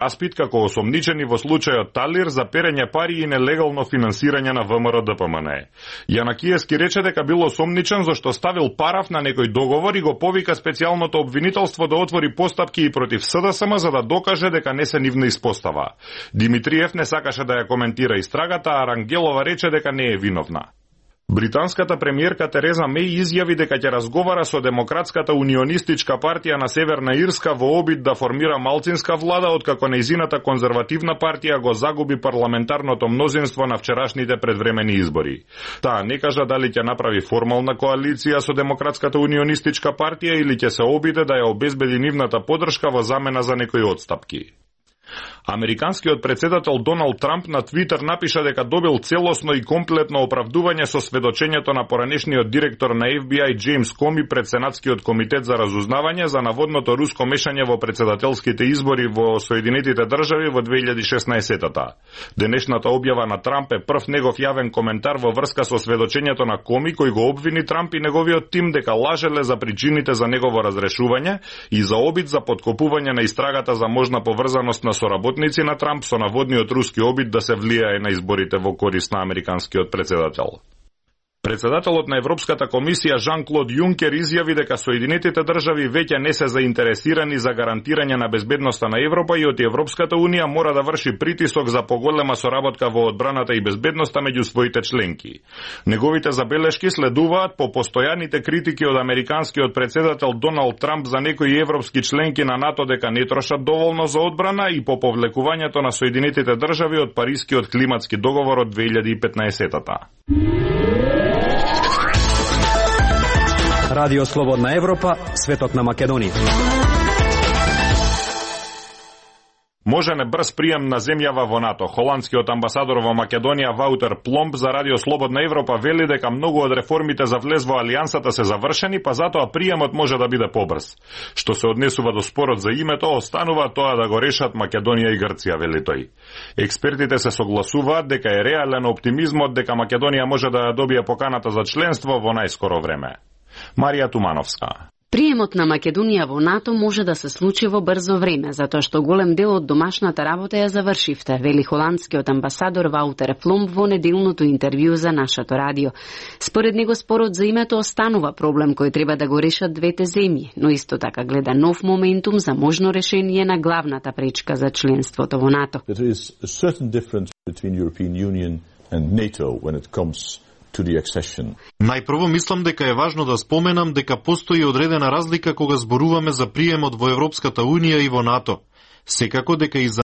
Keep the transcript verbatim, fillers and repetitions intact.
распит како осомничени во случајот Талир за перење пари и нелегално финансирање на ВМРО Д П М Н Е. Јанакиевски рече дека бил осомничен зашто ставил параф на некој договор и го повика специјалното обвинителство да отвори постапки и против С Д С М за да докаже дека не се нивна испостава. Димитриев не сакаше да ја коментира истрагата, а Рангелова рече дека не е виновна. Британската премиерка Тереза Меј изјави дека ќе разговара со Демократската унионистичка партија на Северна Ирска во обид да формира малцинска влада, откако нејзината конзервативна партија го загуби парламентарното мнозинство на вчерашните предвремени избори. Таа не кажа дали ќе направи формална коалиција со Демократската унионистичка партија или ќе се обиде да ја обезбеди нивната поддршка во замена за некои отстапки. Американскиот председател Доналд Трамп на Твитер напиша дека добил целосно и комплетно оправдување со сведочењето на поранешниот директор на Ф Б И Джеймс Коми пред Сенатскиот комитет за разузнавање за наводното руско мешање во председателските избори во Соединетите држави во две илјади и шеснаесетта. Денешната објава на Трамп е прв негов јавен коментар во врска со сведочењето на Коми, кој го обвини Трамп и неговиот тим дека лажеле за причините за негово разрешување и за обид за поткопување на истрагата за можна поврзаност на соработници на Трамп со наводниот руски обид да се влијае на изборите во корист на американскиот председател. Председателот на Европската комисија Жан-Клод Јункер изјави дека Соединетите држави веќе не се заинтересирани за гарантирање на безбедноста на Европа и од Европската унија мора да врши притисок за поголема соработка во одбраната и безбедноста меѓу своите членки. Неговите забелешки следуваат по постојаните критики од американскиот председател Доналд Трамп за некои европски членки на НАТО дека не трошат доволно за одбрана и по повлекувањето на Соединетите држави од Парискиот климатски договор од две илјади и петнаесетта. Радио Слободна Европа, светот на Македонија. Можене брз прием на земјава во НАТО. Холандскиот амбасадор во Македонија Ваутер Пломб за Радио Слободна Европа вели дека многу од реформите за влез во алијансата се завршени, па затоа приемот може да биде побрз. Што се однесува до спорот за името, останува тоа да го решат Македонија и Грција, вели тој. Експертите се согласуваат дека е реален оптимизмот дека Македонија може да ја добие поканата за членство во најскоро време. Марија Тумановска. Приемот на Македонија во НАТО може да се случи во брзо време, затоа што голем дел од домашната работа ја завршивте, вели холандскиот амбасадор Ваутер Пломб во неделното интервју за нашето радио. Според него спорот за името останува проблем кој треба да го решат двете земји, но исто така гледа нов моментум за можно решение на главната пречка за членството во НАТО. There is a certain difference between European Union and NATO when it comes to the accession. Најпрво мислам дека е важно да споменам дека постои одредена разлика кога зборуваме за приемот во Европската Унија и во НАТО. Секако дека и за